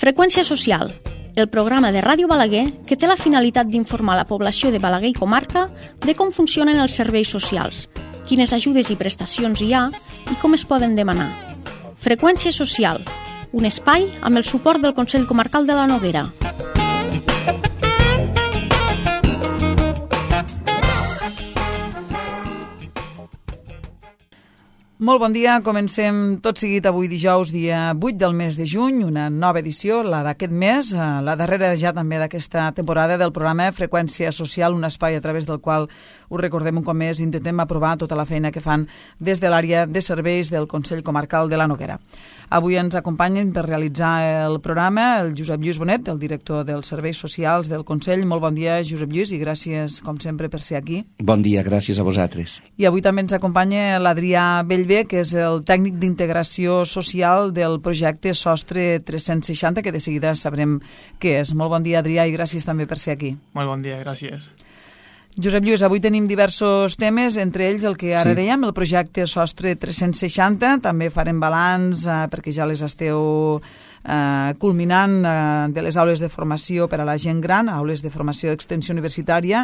Freqüència social, el programa de Ràdio Balaguer que té la finalitat d'informar la població de Balaguer i comarca de com funcionen els serveis socials, quines ajudes i prestacions hi ha i com es poden demanar. Freqüència social, un espai amb el suport del Consell Comarcal de la Noguera. Molt bon dia, comencem tot seguit avui dijous, dia 8 del mes de juny, una nova edició, la d'aquest mes, la darrera ja també d'aquesta temporada del programa Freqüència Social, un espai a través del qual, us recordem un cop més, intentem aprovar tota la feina que fan des de l'àrea de serveis del Consell Comarcal de la Noguera. Avui ens acompanyen per realitzar el programa el Josep Lluís Bonet, el director dels Serveis Socials del Consell. Molt bon dia, Josep Lluís, i gràcies, com sempre, per ser aquí. Bon dia, gràcies a vosaltres. I avui també ens acompanya l'Adrià Bellver, que és el tècnic d'integració social del projecte Sostre 360, que de seguida sabrem què és. Molt bon dia, Adrià, i gràcies també per ser aquí. Molt bon dia, gràcies. Josep Lluís, avui tenim diversos temes, entre ells el que ara dèiem, el projecte Sostre 360, també farem balanç perquè ja les esteu culminant de les aules de formació per a la gent gran, aules de formació d'extensió universitària.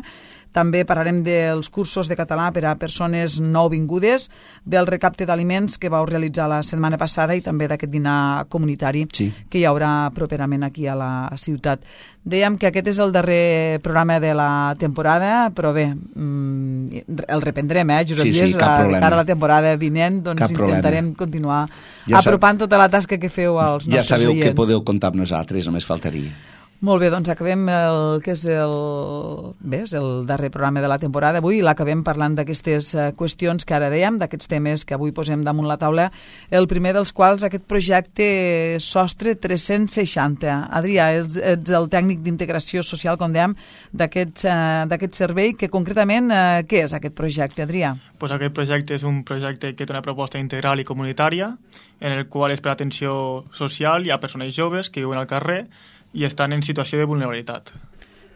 També parlarem dels cursos de català per a persones nouvingudes, del recapte d'aliments que vau realitzar la setmana passada i també d'aquest dinar comunitari que hi haurà properament aquí a la ciutat. Dèiem que aquest és el darrer programa de la temporada, però bé, el reprendrem, Josep Lluís? Sí, cap problema. De cara a la temporada vinent, doncs intentarem continuar apropant tota la tasca que feu als nostres oients. Ja sabeu que podeu comptar amb nosaltres, només faltaria. Molt bé, doncs acabem el que és el darrer programa de la temporada avui i l'acabem parlant d'aquestes qüestions que ara dèiem, d'aquests temes que avui posem damunt la taula, el primer dels quals aquest projecte Sostre 360. Adrià, ets el tècnic d'integració social, com dèiem, d'aquest servei, que concretament què és aquest projecte, Adrià? Pues aquest projecte és un projecte que té una proposta integral i comunitària, en el qual és per atenció social i a persones joves que viuen al carrer i estan en situació de vulnerabilitat.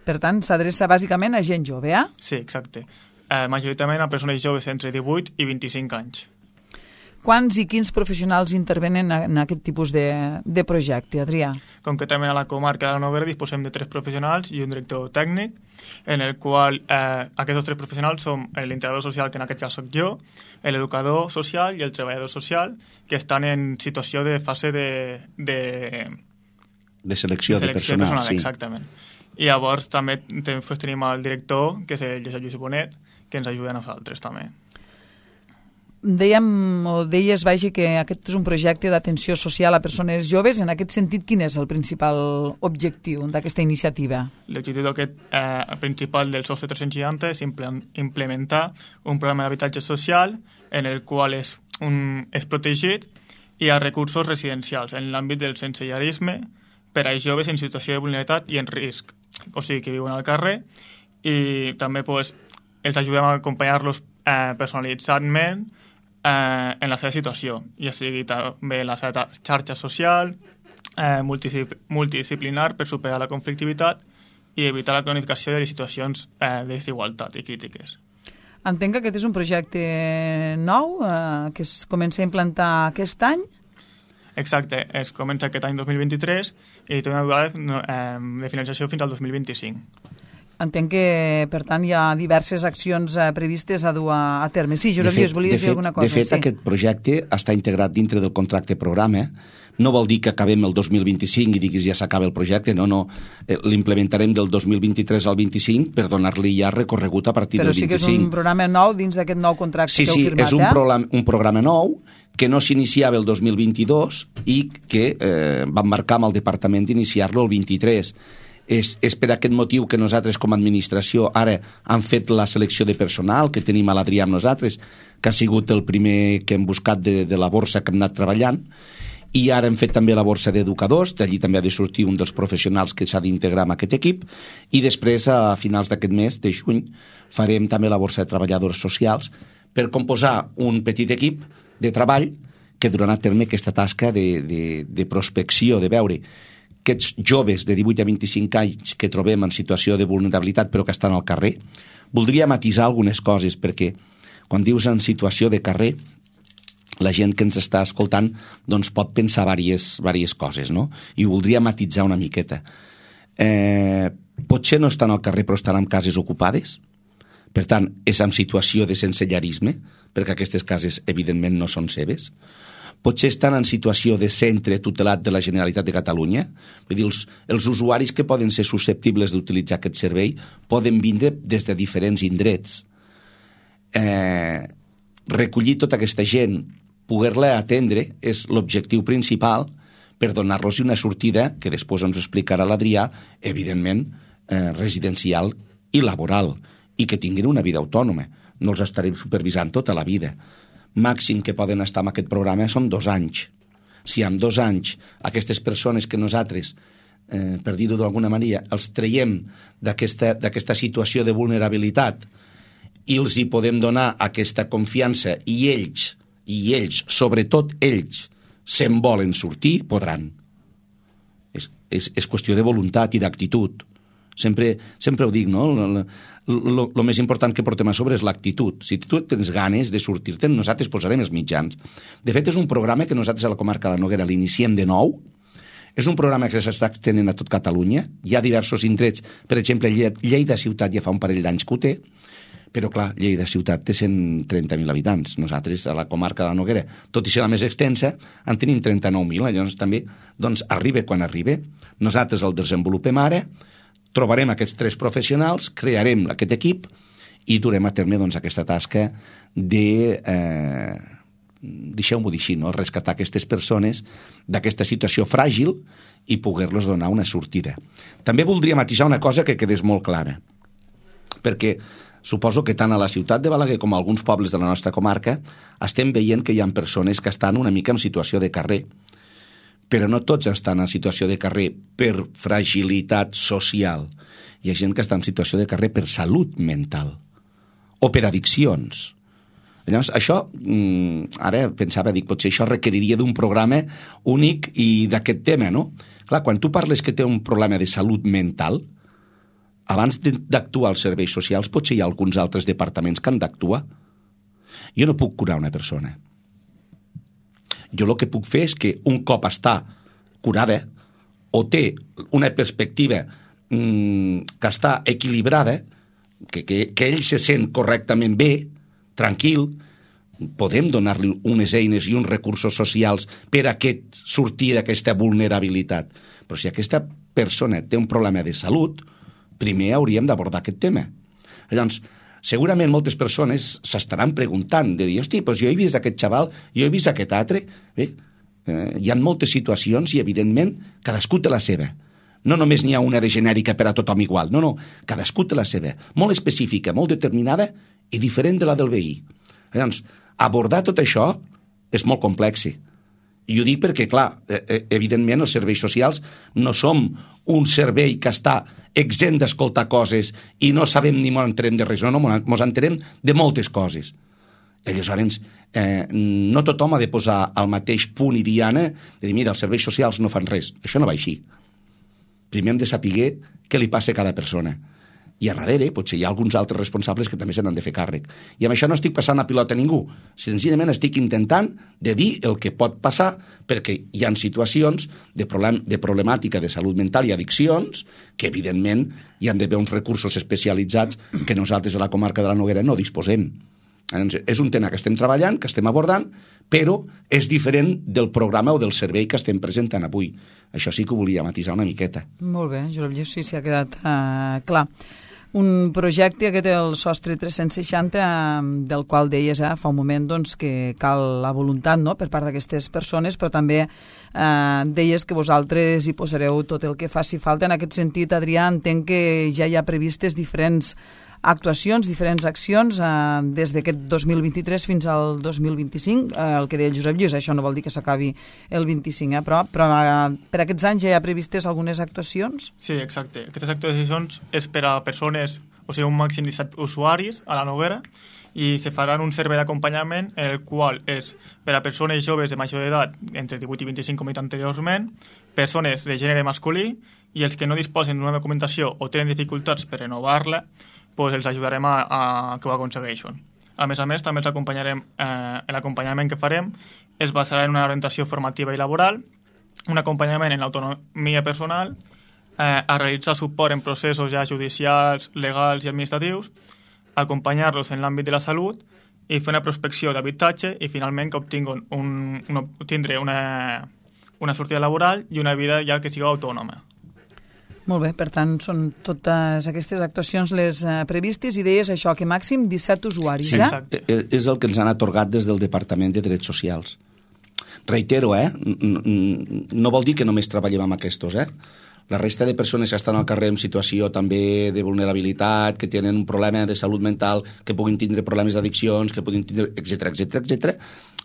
Per tant, s'adreça bàsicament a gent jove, Sí, exacte. Majoritàriament a persones joves entre 18 i 25 anys. Quants i quins professionals intervenen en aquest tipus de projecte, Adrià? Concretament a la comarca de la Noguera disposem de 3 professionals i un director tècnic, en el qual aquests 3 professionals són l'integrador social, que en aquest cas soc jo, l'educador social i el treballador social, que estan en situació de fase de selecció de personal, sí. Exactament. I llavors també tenim el director, que és el Josep Lluís Bonet, que ens ajuda a nosaltres també. Deies, vagi, que aquest és un projecte d'atenció social a persones joves. En aquest sentit, quin és el principal objectiu d'aquesta iniciativa? L'objectiu principal del Sostre 360 és implementar un programa d'habitatge social en el qual és protegit i hi ha recursos residencials en l'àmbit del sensellarisme per a joves en situació de vulnerabilitat i en risc, o sigui, que viuen al carrer, i també els ajudem a acompanyar-los personalitzadament en la seva situació, ja sigui també en la seva xarxa social, multidisciplinar per superar la conflictivitat i evitar la cronificació de les situacions de desigualtat i crítiques. Entenc que aquest és un projecte nou que es comença a implantar aquest any. Exacte, es comença aquest any 2023 i té una durada de finalització fins al 2025. Entenc que, per tant, hi ha diverses accions previstes a dur a terme. Sí, Josep Lluís, volies dir alguna cosa? De fet, aquest projecte està integrat dintre del contracte programa. No vol dir que acabem el 2025 i diguis ja s'acaba el projecte, no. L'implementarem del 2023 al 25 per donar-li ja recorregut a partir del 25. Però sí que és un programa nou dins d'aquest nou contracte que heu firmat, Sí, és un programa nou que no s'iniciava el 2022 i que vam marcar amb el departament d'iniciar-lo el 23. És per aquest motiu que nosaltres com a administració ara hem fet la selecció de personal, que tenim a l'Adrià amb nosaltres, que ha sigut el primer que hem buscat de la borsa que hem anat treballant, i ara hem fet també la borsa d'educadors, d'allí també ha de sortir un dels professionals que s'ha d'integrar en aquest equip, i després, a finals d'aquest mes de juny, farem també la borsa de treballadors socials per composar un petit equip de treball que durarà a terme aquesta tasca de prospecció, de veure aquests joves de 18 a 25 anys que trobem en situació de vulnerabilitat però que estan al carrer. Voldria matisar algunes coses perquè quan dius en situació de carrer la gent que ens està escoltant doncs pot pensar diverses coses, no? I ho voldria matitzar una miqueta. Potser no estan al carrer però estan en cases ocupades, per tant és en situació de sensellarisme, perquè aquestes cases evidentment no són seves. Potser estan en situació de centre tutelat de la Generalitat de Catalunya, vull dir, els usuaris que poden ser susceptibles d'utilitzar aquest servei poden vindre des de diferents indrets. Recollir tota aquesta gent, poder-la atendre, és l'objectiu principal per donar-los una sortida, que després ens explicarà l'Adrià, evidentment residencial i laboral, i que tinguin una vida autònoma. No els estarem supervisant tota la vida. Màxim que poden estar en aquest programa són 2 anys. Si en 2 anys aquestes persones que nosaltres, per dir-ho d'alguna manera, els traiem d'aquesta situació de vulnerabilitat i els hi podem donar aquesta confiança i ells, sobretot ells, se'n volen sortir, podran. És qüestió de voluntat i d'actitud. Sempre ho dic, no? El més important que portem a sobre és l'actitud. Si tu tens ganes de sortir-te'n, nosaltres posarem els mitjans. De fet, és un programa que nosaltres a la comarca de la Noguera l'iniciem de nou. És un programa que s'està extenent a tot Catalunya. Hi ha diversos indrets. Per exemple, Lleida ciutat ja fa un parell d'anys que ho té, però clar, Lleida ciutat té 130.000 habitants. Nosaltres, a la comarca de la Noguera, tot i ser la més extensa, en tenim 39.000. Llavors també arriba quan arriba. Nosaltres el desenvolupem ara, trobarem aquests 3 professionals, crearem aquest equip i durem a terme aquesta tasca de, deixeu-m'ho dir així, no? Rescatar aquestes persones d'aquesta situació fràgil i poder-los donar una sortida. També voldria matisar una cosa que quedés molt clara, perquè suposo que tant a la ciutat de Balaguer com a alguns pobles de la nostra comarca estem veient que hi ha persones que estan una mica en situació de carrer, però no tots estan en situació de carrer per fragilitat social. Hi ha gent que està en situació de carrer per salut mental o per addiccions. Llavors, això, ara pensava, potser això requeriria d'un programa únic i d'aquest tema, no? Clar, quan tu parles que té un problema de salut mental, abans d'actuar als serveis socials, potser hi ha alguns altres departaments que han d'actuar. Jo no puc curar una persona. Jo el que puc fer és que un cop està curada o té una perspectiva que està equilibrada, que ell se sent correctament bé, tranquil, podem donar-li unes eines i uns recursos socials per a sortir d'aquesta vulnerabilitat. Però si aquesta persona té un problema de salut, primer hauríem d'abordar aquest tema. Llavors, segurament moltes persones s'estaran preguntant, de dir, hosti, doncs jo he vist aquest xaval, jo he vist aquest altre. Bé, hi ha moltes situacions i, evidentment, cadascú té la seva. No només n'hi ha una de genèrica per a tothom igual, no, cadascú té la seva, molt específica, molt determinada i diferent de la del veí. Llavors, abordar tot això és molt complex. I ho dic perquè, clar, evidentment els serveis socials no som un servei que està exempt d'escoltar coses i no sabem ni ens enterem de res, no, ens enterem de moltes coses. Aleshores, no tothom ha de posar al mateix punt i diana de dir, mira, els serveis socials no fan res. Això no va així. Primer hem de saber què li passa a cada persona. I a darrere potser hi ha alguns altres responsables que també se n'han de fer càrrec. I amb això no estic passant a pilota a ningú. Senzillament estic intentant de dir el que pot passar, perquè hi ha situacions de problemàtica de salut mental i addiccions que, evidentment, hi han d'haver uns recursos especialitzats que nosaltres a la comarca de la Noguera no disposem. És un tema que estem treballant, que estem abordant, però és diferent del programa o del servei que estem presentant avui. Això sí que ho volia matisar una miqueta. Molt bé, Josep Lluís, sí, ha quedat clar. Un projecte que té el sostre 360, del qual deies fa un moment doncs, que cal la voluntat, no?, per part d'aquestes persones, però també deies que vosaltres hi posareu tot el que faci falta. En aquest sentit, Adrià, entenc que ja hi ha previstes diferents actuacions, diferents accions des d'aquest 2023 fins al 2025, el que deia el Josep Lluís, això no vol dir que s'acabi el 25, però per aquests anys ja hi ha previstes algunes actuacions? Sí, exacte. Aquestes actuacions és per a persones, o sigui, un màxim de 17 usuaris a la Noguera, i se faran un servei d'acompanyament en el qual és per a persones joves de major d'edat, entre 18 i 25 com he dit anteriorment, persones de gènere masculí, i els que no disposen d'una documentació o tenen dificultats per renovar-la, doncs els ajudarem a que ho aconsegueixin. A més, també els acompanyarem, l'acompanyament que farem es basarà en una orientació formativa i laboral, un acompanyament en l'autonomia personal, a realitzar suport en processos ja judicials, legals i administratius, acompanyar-los en l'àmbit de la salut i fer una prospecció d'habitatge i finalment que obtindre una sortida laboral i una vida ja que sigui autònoma. Molt bé, per tant, són totes aquestes actuacions les previstes i deies això, que màxim 17 usuaris, sí, exacte. És el que ens han atorgat des del Departament de Drets Socials. Reitero, no vol dir que només treballem amb aquests, La resta de persones que estan al carrer en situació també de vulnerabilitat, que tenen un problema de salut mental, que puguin tindre problemes d'addiccions, que puguin tindre, etc.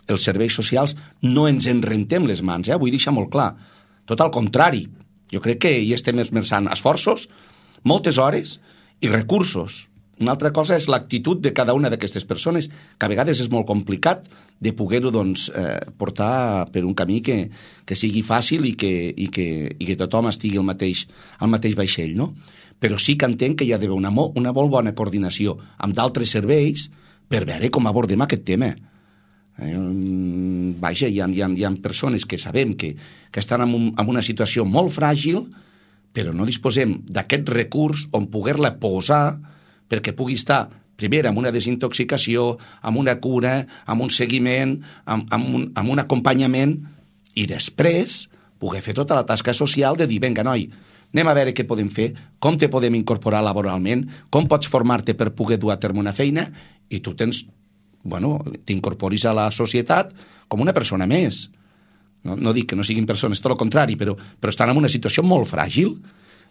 Els serveis socials no ens en rentem les mans, vull deixar molt clar. Tot al contrari, jo crec que hi estem esmerçant esforços, moltes hores i recursos. Una altra cosa és l'actitud de cada una d'aquestes persones, que a vegades és molt complicat de poder-ho portar per un camí que sigui fàcil i que tothom estigui al mateix vaixell, no? Però sí que entenc que hi ha d'haver una molt bona coordinació amb d'altres serveis per veure com abordem aquest tema. Vaja, hi ha persones que sabem que estan en una situació molt fràgil, però no disposem d'aquest recurs on poder-la posar perquè pugui estar, primer, amb una desintoxicació, amb una cura, amb un seguiment, amb un acompanyament, i després poder fer tota la tasca social de dir, vinga, noi, anem a veure què podem fer, com te podem incorporar laboralment, com pots formar-te per poder dur a terme una feina, i tu t'incorporis a la societat com una persona més. No dic que no siguin persones, tot el contrari, però estan en una situació molt fràgil.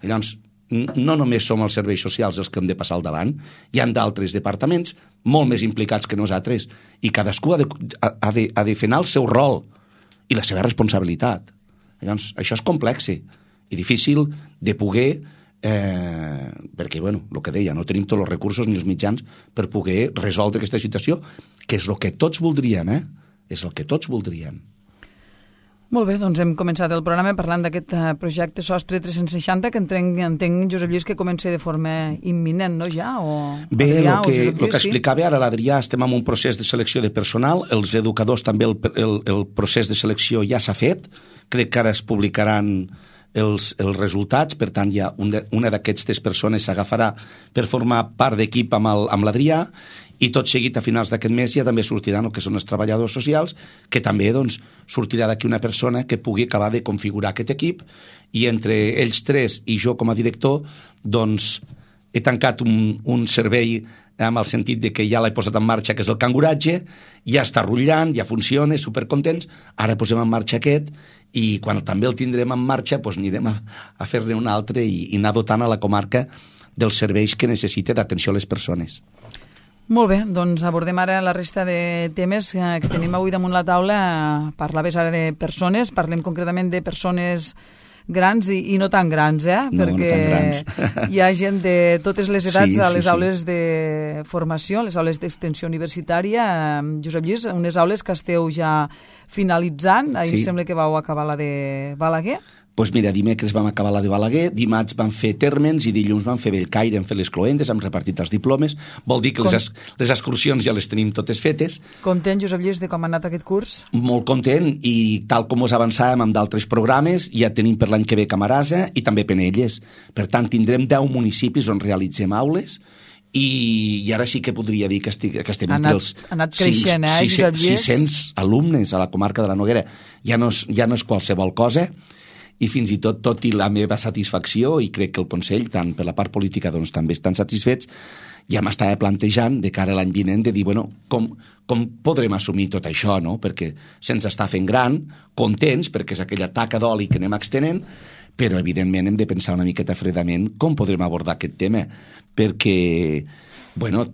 Llavors, no només som els serveis socials els que hem de passar al davant, hi ha d'altres departaments molt més implicats que nosaltres i cadascú ha de fer anar el seu rol i la seva responsabilitat. Llavors, això és complex i difícil de poder, perquè, el que deia, no tenim tots els recursos ni els mitjans per poder resoldre aquesta situació, que és el que tots voldríem, és el que tots voldríem. Molt bé, doncs hem començat el programa parlant d'aquest projecte Sostre 360 que entenc, Josep Lluís, que comença de forma imminent, no ja? Bé, el que explicava ara l'Adrià, estem en un procés de selecció de personal, els educadors també el procés de selecció ja s'ha fet, crec que ara es publicaran els resultats, per tant ja una d'aquestes persones s'agafarà per formar part d'equip amb l'Adrià, i tot seguit a finals d'aquest mes ja també sortiran el que són els treballadors socials, que també sortirà d'aquí una persona que pugui acabar de configurar aquest equip, i entre ells tres i jo com a director he tancat un servei amb el sentit de que ja l'he posat en marxa, que és el canguratge, ja està rutllant, ja funciona, supercontents, ara posem en marxa aquest, i quan també el tindrem en marxa anirem a fer-ne un altre i anar dotant a la comarca dels serveis que necessita d'atenció a les persones. Molt bé, doncs abordem ara la resta de temes que tenim avui damunt la taula. Parlaves ara de persones, parlem concretament de persones grans i no tan grans, No, perquè no tan grans. Hi ha gent de totes les edats a les sí. aules de formació, les aules d'extensió universitària. Josep Lluís, unes aules que esteu ja finalitzant, ahir em sembla que vau acabar la de Balaguer. Doncs mira, dimecres vam acabar la de Balaguer, dimarts vam fer Térmens i dilluns vam fer Bellcaire, hem fet les cloendes, hem repartit els diplomes. Vol dir que les excursions ja les tenim totes fetes. Content, Josep Lluís, de com ha anat aquest curs? Molt content, i tal com us avançàvem amb d'altres programes, ja tenim per l'any que ve Camarasa i també Penelles. Per tant, tindrem 10 municipis on realitzem aules, i ara sí que podria dir que estem entre els... Ha anat creixent, Josep Lluís? 600 alumnes a la comarca de la Noguera. Ja no és qualsevol cosa, i fins i tot i la meva satisfacció, i crec que el Consell, tant per la part política, també estan satisfets, ja m'estava plantejant de cara a l'any vinent de dir, com podrem assumir tot això, no? Perquè se'ns està fent gran, contents, perquè és aquella taca d'oli que anem extenent, però evidentment hem de pensar una miqueta fredament com podrem abordar aquest tema, perquè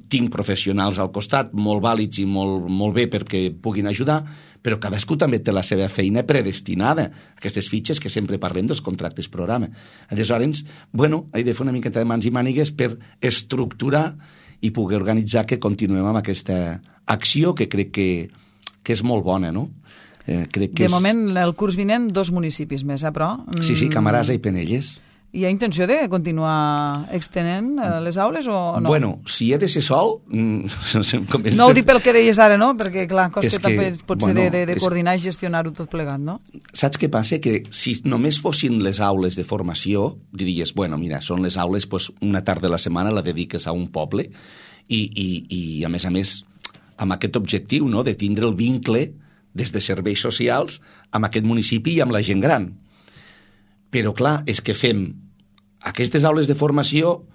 tinc professionals al costat molt vàlids i molt bé perquè puguin ajudar, però cadascú també té la seva feina predestinada, aquestes fitxes que sempre parlem dels contractes programa. Aleshores, he de fer una miqueta de mans i mànigues per estructurar i poder organitzar que continuem amb aquesta acció que crec que és molt bona, no? De moment, el curs vinent, 2 municipis més, però... Sí, Camarasa i Penelles. Hi ha intenció de continuar extenent les aules o no? Bueno, si he de ser sol... No ho dic pel que deies ara, no? Perquè, clar, costa també potser de coordinar i gestionar-ho tot plegat, no? Saps què passa? Que si només fossin les aules de formació, diries, bueno, mira, són les aules, doncs una tarda a la setmana la dediques a un poble i a més, amb aquest objectiu, no?, de tindre el vincle des de serveis socials amb aquest municipi i amb la gent gran. Però, clar, és que fem aquestes aules de formació,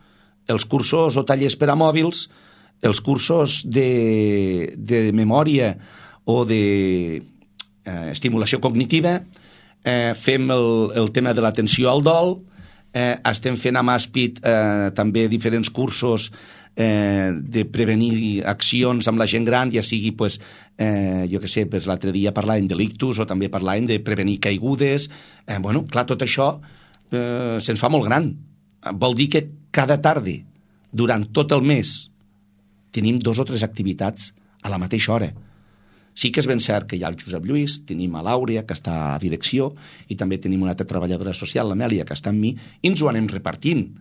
els cursos o tallers per a mòbils, els cursos de memòria o d'estimulació cognitiva, fem el tema de l'atenció al dol, estem fent amb ASPID també diferents cursos de prevenir accions amb la gent gran, ja sigui, pues, jo què sé, pues, l'altre dia parlàvem de l'ictus o també parlàvem de prevenir caigudes. Bueno, clar, tot això se'ns fa molt gran. Vol dir que cada tarda, durant tot el mes, tenim 2 o 3 activitats a la mateixa hora. Sí que és ben cert que hi ha el Josep Lluís, tenim a l'Àurea, que està a direcció, i també tenim una altra treballadora social, l'Amèlia, que està amb mi, i ens ho anem repartint.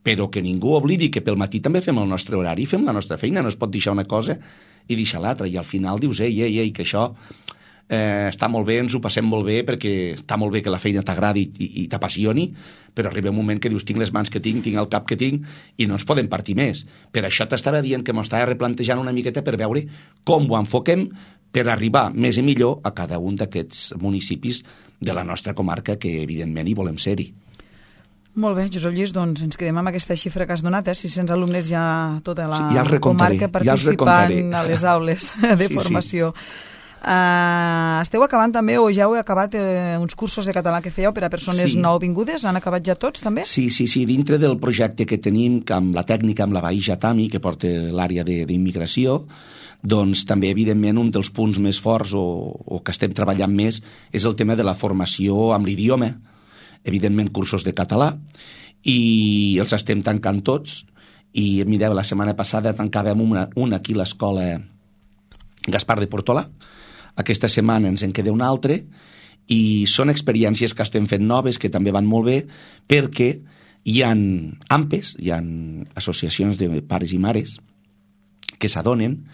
Però que ningú oblidi que pel matí també fem el nostre horari, fem la nostra feina, no es pot deixar una cosa i deixar l'altra, i al final dius, ei, que això està molt bé, ens ho passem molt bé, perquè està molt bé que la feina t'agradi i t'apassioni, però arriba un moment que dius, tinc les mans que tinc el cap que tinc, i no ens podem partir més. Per això t'estava dient que m'estava replantejant una miqueta per veure com ho enfoquem per arribar més i millor a cada un d'aquests municipis de la nostra comarca, que evidentment hi volem ser-hi. Molt bé, Josep Lluís, doncs ens quedem amb aquesta xifra que has donat, 600 alumnes ja tota la comarca participant a les aules de formació. Esteu acabant també, o ja heu acabat uns cursos de català que fèieu per a persones nouvingudes? Han acabat ja tots també? Sí, dintre del projecte que tenim amb la tècnica, amb la Baïja Tami, que porta l'àrea d'immigració, doncs també, evidentment, un dels punts més forts o que estem treballant més és el tema de la formació amb l'idioma, evidentment cursos de català, i els estem tancant tots, i mireu, la setmana passada tancàvem una aquí a l'escola Gaspar de Portolà, aquesta setmana ens en queda una altra, i són experiències que estem fent noves, que també van molt bé, perquè hi ha AMPEs, hi ha associacions de pares i mares, que s'adonen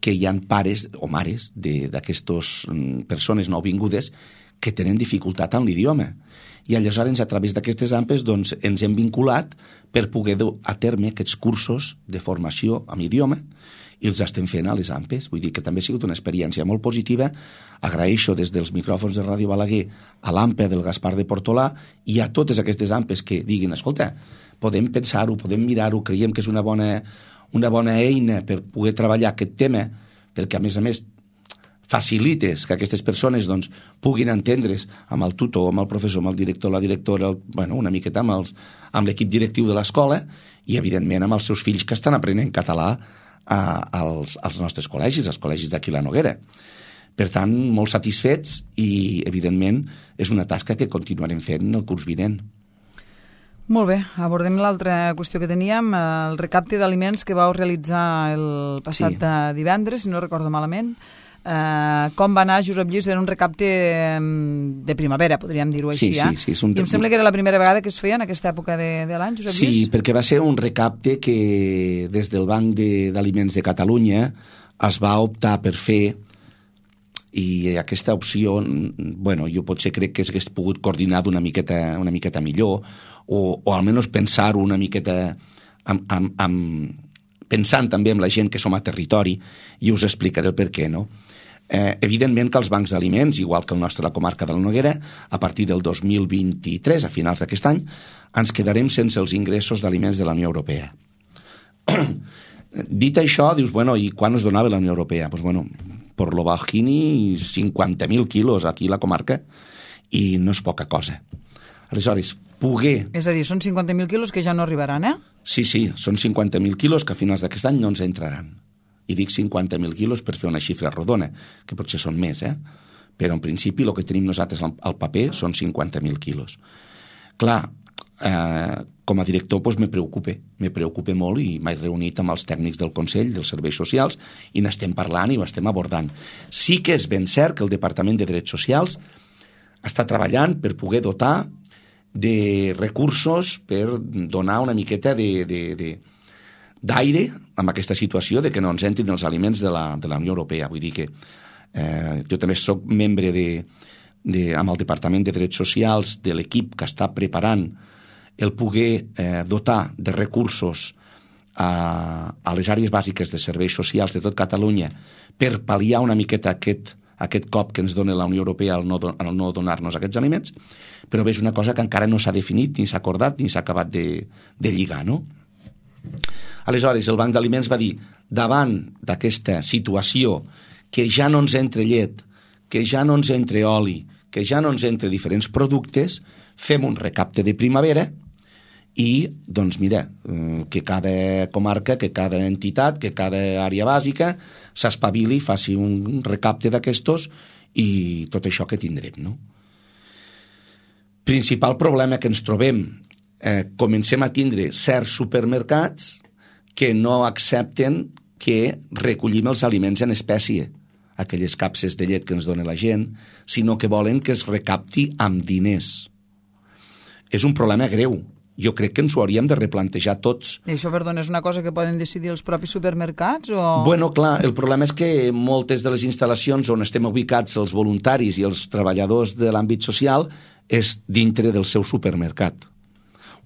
que hi ha pares o mares d'aquestes persones nouvingudes que tenen dificultat amb l'idioma. I aleshores, a través d'aquestes AMPEs, doncs, ens hem vinculat per poder dur a terme aquests cursos de formació amb idioma, i els estem fent a les AMPEs. Vull dir que també ha sigut una experiència molt positiva. Agraeixo des dels micròfons de Ràdio Balaguer a l'AMPE del Gaspar de Portolà i a totes aquestes AMPEs que diguin, escolta, podem pensar-ho, podem mirar-ho, creiem que és una bona eina per poder treballar aquest tema, perquè, a més, facilites que aquestes persones doncs, puguin entendre's amb el tutor, amb el professor, amb el director, la directora, una miqueta amb l'equip directiu de l'escola i, evidentment, amb els seus fills que estan aprenent català als nostres col·legis, als col·legis d'aquí la Noguera. Per tant, molt satisfets i, evidentment, és una tasca que continuarem fent el curs vinent. Molt bé, abordem l'altra qüestió que teníem, el recapte d'aliments que vau realitzar el passat divendres, si no recordo malament. Com va anar, Josep Lluís? Era un recapte de primavera, podríem dir-ho així. Sí. I em sembla que era la primera vegada que es feia en aquesta època de l'any, Josep Lluís? Sí, perquè va ser un recapte que des del Banc d'Aliments de Catalunya es va optar per fer, i aquesta opció, jo potser crec que s'hagués pogut coordinar una miqueta millor, o almenys pensar-ho una miqueta pensant també en la gent que som a territori, i us explicaré el per què, no? Evidentment que els bancs d'aliments, igual que el nostre, la comarca de la Noguera, a partir del 2023, a finals d'aquest any, ens quedarem sense els ingressos d'aliments de la Unió Europea. Dit això, dius, i quan es donava la Unió Europea? Per lo bajini, 50.000 quilos aquí a la comarca, i no és poca cosa. Aleshores, poder... És a dir, són 50.000 quilos que ja no arribaran, eh? Sí, són 50.000 quilos que a finals d'aquest any no ens entraran. I dic 50.000 quilos per fer una xifra rodona, que potser són més, però en principi el que tenim nosaltres al paper són 50.000 quilos. Clar, com a director me preocupa molt, i m'he reunit amb els tècnics del Consell dels Serveis Socials i n'estem parlant i ho estem abordant. Sí que és ben cert que el Departament de Drets Socials està treballant per poder dotar de recursos per donar una miqueta d'aire amb aquesta situació de que no ens entrin els aliments de la Unió Europea. Vull dir que jo també soc membre amb el Departament de Drets Socials de l'equip que està preparant el poder dotar de recursos a les àrees bàsiques de serveis socials de tot Catalunya per pal·liar una miqueta aquest cop que ens dona la Unió Europea al no donar-nos aquests aliments, però bé, és una cosa que encara no s'ha definit, ni s'ha acordat, ni s'ha acabat de lligar, no? Aleshores, el Banc d'Aliments va dir, davant d'aquesta situació que ja no ens entre llet, que ja no ens entre oli, que ja no ens entre diferents productes, fem un recapte de primavera i, doncs mira, que cada comarca, que cada entitat, que cada àrea bàsica s'espavili, faci un recapte d'aquestos i tot això que tindrem, no? Principal problema que ens trobem, comencem a tindre certs supermercats que no accepten que recollim els aliments en espècie, aquelles capses de llet que ens dona la gent, sinó que volen que es recapti amb diners. És un problema greu. Jo crec que ens ho hauríem de replantejar tots. I això, perdona, és una cosa que poden decidir els propis supermercats? O... Bueno, clar, el problema és que moltes de les instal·lacions on estem ubicats els voluntaris i els treballadors de l'àmbit social és dintre del seu supermercat.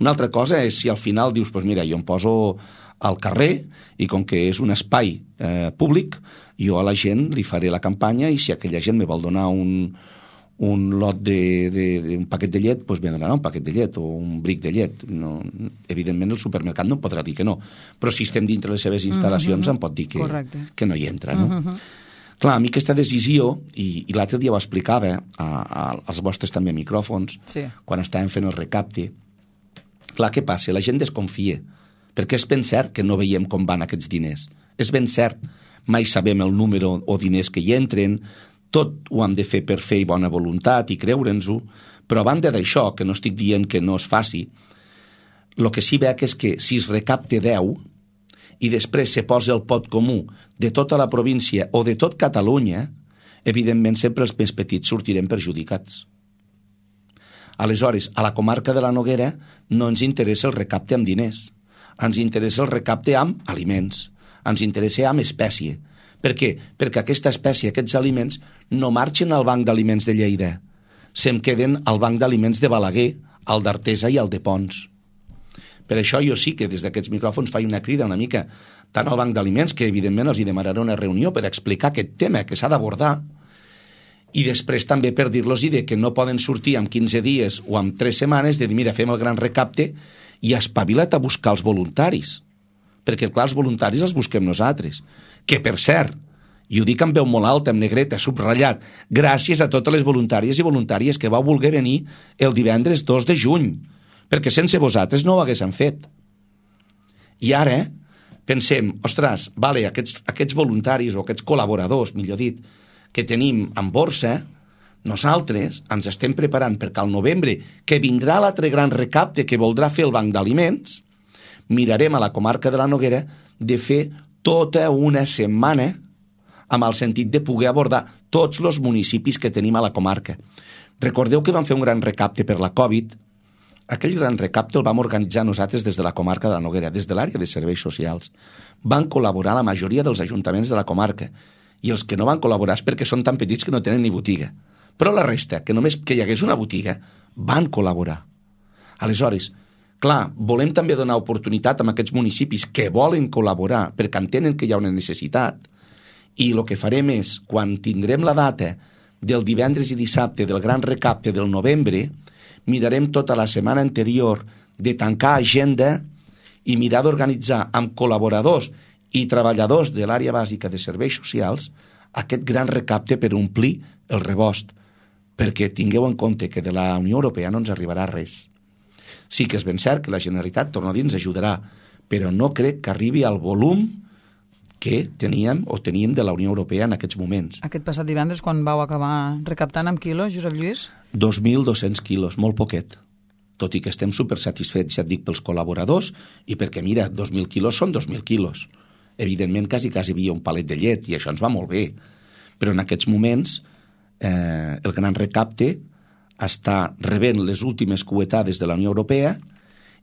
Una altra cosa és si al final dius, pues mira, jo em poso al carrer i com que és un espai públic, jo a la gent li faré la campanya i si aquella gent me vol donar un lot d'un paquet de llet, doncs me donarà un paquet de llet o un bric de llet. No, evidentment el supermercat no em podrà dir que no, però si estem dintre les seves instal·lacions em pot dir que no hi entra, no? Clar, a mi aquesta decisió, i l'altre dia ho explicava als vostres també micròfons, quan estàvem fent el recapte, clar, què passa? La gent desconfia, perquè és ben cert que no veiem com van aquests diners. És ben cert, mai sabem el número o diners que hi entren, tot ho hem de fer per fer i bona voluntat i creure'ns-ho, però a banda d'això, que no estic dient que no es faci, el que sí veig és que si es recapte 10 i després se posa el pot comú de tota la província o de tot Catalunya, evidentment sempre els més petits sortirem perjudicats. Aleshores, a la comarca de la Noguera no ens interessa el recapte amb diners, ens interessa el recapte amb aliments, ens interessa amb espècie. Per què? Perquè aquesta espècie, aquests aliments, no marxen al Banc d'Aliments de Lleida, se'm queden al Banc d'Aliments de Balaguer, al d'Artesa i al de Pons. Per això jo sí que des d'aquests micròfons faig una crida una mica tant al Banc d'Aliments, que evidentment els hi demanaré una reunió per explicar aquest tema que s'ha d'abordar, i després també per dir-los que no poden sortir en 15 dies o en 3 setmanes de dir, mira, fem el gran recapte i espavila't a buscar els voluntaris. Perquè, clar, els voluntaris els busquem nosaltres. Que, per cert, i ho dic amb veu molt alta, amb negreta, subratllat, gràcies a totes les voluntàries i voluntàries que vau voler venir el divendres 2 de juny, perquè sense vosaltres no ho haguéssim fet. I ara pensem, ostres, vale, aquests voluntaris o aquests col·laboradors, millor dit, que tenim en borsa, nosaltres ens estem preparant perquè al novembre, que vindrà l'altre gran recapte que voldrà fer el Banc d'Aliments, mirarem a la comarca de la Noguera de fer tota una setmana amb el sentit de poder abordar tots els municipis que tenim a la comarca. Recordeu que vam fer un gran recapte per la Covid. Aquell gran recapte el vam organitzar nosaltres des de la comarca de la Noguera, des de l'àrea de serveis socials. Van col·laborar la majoria dels ajuntaments de la comarca i els que no van col·laborar és perquè són tan petits que no tenen ni botiga. Però la resta, que només que hi hagués una botiga, van col·laborar. Aleshores, clar, volem també donar oportunitat a aquests municipis que volen col·laborar perquè entenen que hi ha una necessitat i el que farem és, quan tindrem la data del divendres i dissabte del gran recapte del novembre, mirarem tota la setmana anterior de tancar agenda i mirar d'organitzar amb col·laboradors i treballadors de l'àrea bàsica de serveis socials aquest gran recapte per omplir el rebost, perquè tingueu en compte que de la Unió Europea no ens arribarà res. Sí que és ben cert que la Generalitat, torno a dir, ens ajudarà, però no crec que arribi al volum que teníem o teníem de la Unió Europea en aquests moments. Aquest passat divendres, quan vau acabar recaptant amb quilos, Josep Lluís? 2.200 quilos, molt poquet. Tot i que estem supersatisfets, ja et dic, pels col·laboradors i perquè, mira, 2.000 quilos són 2.000 quilos. Evidentment, quasi hi havia un palet de llet i això ens va molt bé. Però en aquests moments, el gran recapte està rebent les últimes cuetades de la Unió Europea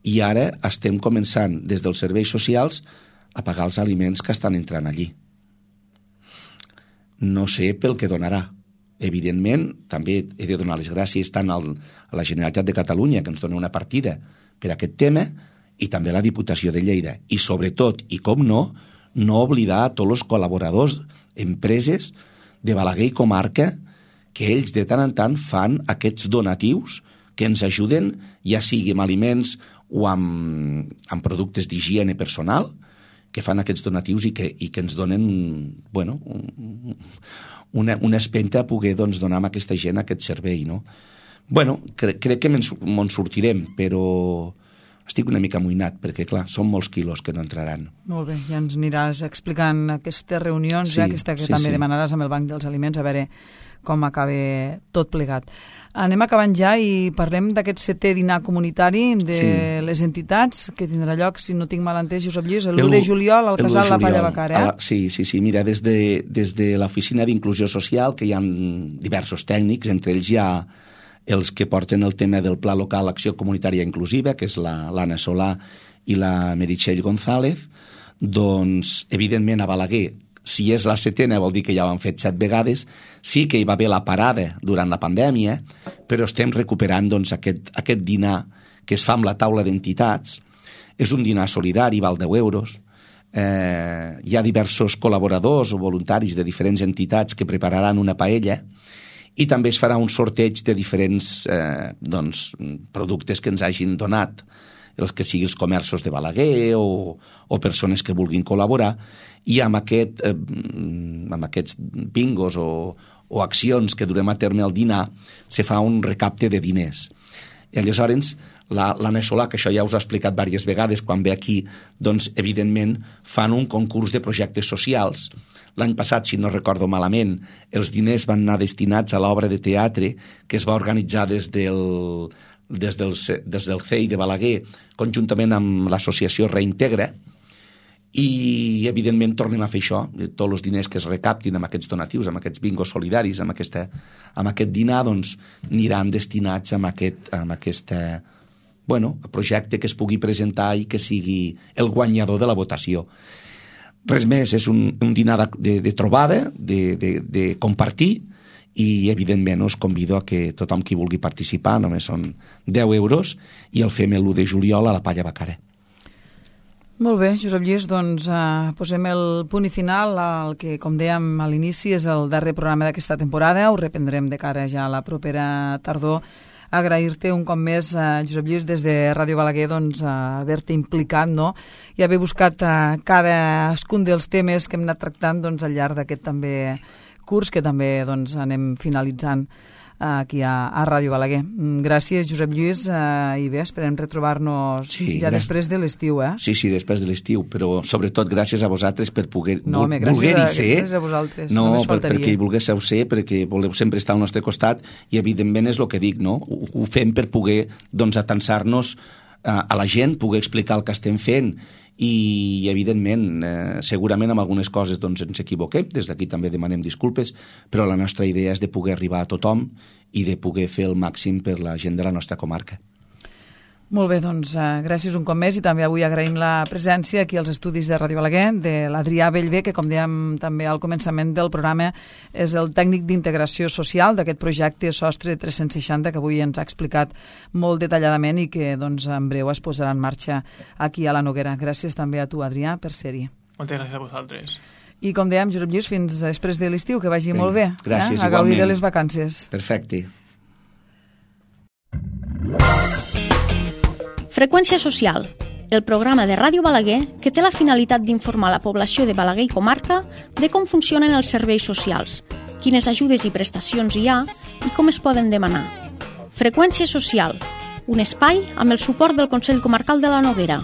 i ara estem començant des dels serveis socials a pagar els aliments que estan entrant allí. No sé pel que donarà. Evidentment, també he de donar les gràcies tant a la Generalitat de Catalunya, que ens dona una partida per aquest tema, i també a la Diputació de Lleida. I sobretot, i com no oblidar a tots els col·laboradors, empreses de Balaguer i comarca, que ells de tant en tant fan aquests donatius que ens ajuden, ja sigui amb aliments o amb productes d'higiene personal, que fan aquests donatius i que ens donen una espenta a poder donar a aquesta gent aquest servei. No? Crec que me'n sortirem, però estic una mica amoïnat, perquè, clar, són molts quilos que no entraran. Molt bé, ja ens aniràs explicant aquestes reunions, aquesta que també demanaràs amb el Banc dels Aliments, a veure com acaba tot plegat. Anem acabant ja i parlem d'aquest 7è dinar comunitari de les entitats, que tindrà lloc, si no tinc mal entès, Josep Lluís, l'1 de juliol al Casal La Palla Bacara. Sí. Mira, des de l'Oficina d'Inclusió Social, que hi ha diversos tècnics, entre ells hi ha els que porten el tema del Pla Local Acció Comunitària Inclusiva, que és l'Anna Solà i la Meritxell González, doncs, evidentment, a Balaguer, si és la 7ª vol dir que ja ho han fet 7 vegades, sí que hi va haver la parada durant la pandèmia, però estem recuperant aquest dinar que es fa amb la taula d'entitats. És un dinar solidari, val 10 euros. Hi ha diversos col·laboradors o voluntaris de diferents entitats que prepararan una paella i també es farà un sorteig de diferents productes que ens hagin donat, els que siguin els comerços de Balaguer o persones que vulguin col·laborar, i amb aquests bingos o accions que durem a terme al dinar se fa un recapte de diners. I aleshores l'Anna Solà, que això ja us ha explicat diverses vegades quan ve aquí, doncs evidentment fan un concurs de projectes socials. L'any passat, si no recordo malament, els diners van anar destinats a l'obra de teatre que es va organitzar des del CEI de Balaguer, conjuntament amb l'associació Reintegra, i evidentment tornem a fer això. Tots els diners que es recaptin amb aquests donatius, amb aquests bingos solidaris, amb aquest dinar, doncs aniran destinats a aquest projecte que es pugui presentar i que sigui el guanyador de la votació. Res més, és un dinar de trobada, de compartir, i evidentment us convido a que tothom qui vulgui participar, només són 10 euros, i el fem l'1 de juliol a la Palla Bacara. Molt bé, Josep Lluís, doncs posem el punt i final al que, com dèiem a l'inici, és el darrer programa d'aquesta temporada. Ho reprendrem de cara ja a la propera tardor. Agrair-te un cop més, Josep Lluís, des de Ràdio Balaguer, doncs, haver-te implicat, no? I haver buscat cadascun dels temes que hem anat tractant doncs, al llarg d'aquest també curs que també doncs, anem finalitzant aquí a Ràdio Balaguer. Gràcies, Josep Lluís, i bé, esperem retrobar-nos després de l'estiu, Sí, després de l'estiu, però sobretot gràcies a vosaltres per voler-hi ser. Gràcies a vosaltres, només faltaria. Perquè hi volguéssiu ser, perquè voleu sempre estar al nostre costat, i evidentment és el que dic, no? Ho fem per poder atansar-nos a la gent, poder explicar el que estem fent, i evidentment segurament amb algunes coses doncs ens equivoquem, des d'aquí també demanem disculpes, però la nostra idea és de poder arribar a tothom i de poder fer el màxim per la gent de la nostra comarca. Molt bé, doncs gràcies un cop més, i també avui agraïm la presència aquí als estudis de Ràdio Balaguer de l'Adrià Bellver, que com dèiem també al començament del programa és el tècnic d'integració social d'aquest projecte Sostre 360 que avui ens ha explicat molt detalladament i que doncs en breu es posarà en marxa aquí a la Noguera. Gràcies també a tu, Adrià, per ser-hi. Moltes gràcies a vosaltres. I com dèiem, Josep Lluís, fins després de l'estiu, que vagi molt bé. Gràcies, a gaudir de les vacances. Perfecte. Freqüència social, el programa de Ràdio Balaguer que té la finalitat d'informar la població de Balaguer i comarca de com funcionen els serveis socials, quines ajudes i prestacions hi ha i com es poden demanar. Freqüència social, un espai amb el suport del Consell Comarcal de la Noguera.